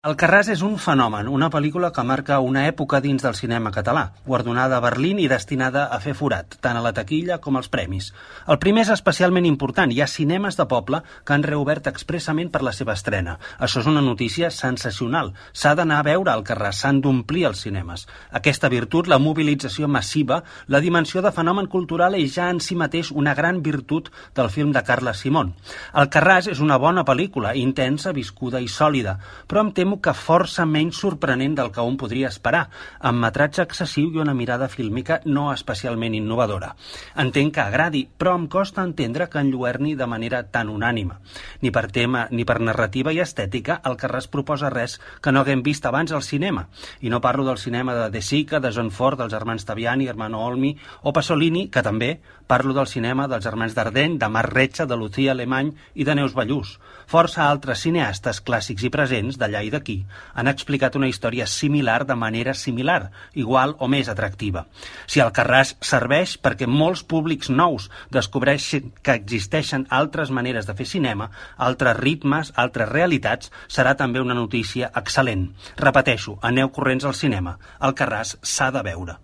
Alcarràs és un fenomen, una pel·lícula que marca una època dins del cinema català, guardonada a Berlín i destinada a fer forat, tant a la taquilla com als premis. El primer és especialment important. Hi ha cinemes de poble que han reobert expressament per la seva estrena. Això és una notícia sensacional. S'ha d'anar a veure Alcarràs, s'han d'omplir els cinemes. Aquesta virtut, la mobilització massiva, la dimensió de fenomen cultural és ja en si mateix una gran virtut del film de Carles Simón. Alcarràs és una bona pel·lícula, intensa, viscuda i sòlida, però em temo que força menys sorprenent del que un podria esperar, amb metratge excessiu i una mirada fílmica no especialment innovadora. Entenc que agradi, però em costa entendre que enlluerni de manera tan unànime. Ni per tema ni per narrativa i estètica, Alcarràs proposa res que no haguem vist abans al cinema. I no parlo del cinema de De Sica, de John Ford, dels germans Taviani, Hermano Olmi o Pasolini, que també parlo del cinema dels germans Dardenne, de Marc Retxa, de Lucía Alemany i de Neus Ballús. Força altres cineastes clàssics i presents, d'allà i d'aquí, han explicat una història similar de manera similar, igual o més atractiva. Si Alcarràs serveix perquè molts públics nous descobreixin que existeixen altres maneres de fer cinema, altres ritmes, altres realitats, serà també una notícia excel·lent. Repeteixo, aneu corrents al cinema. Alcarràs s'ha de veure.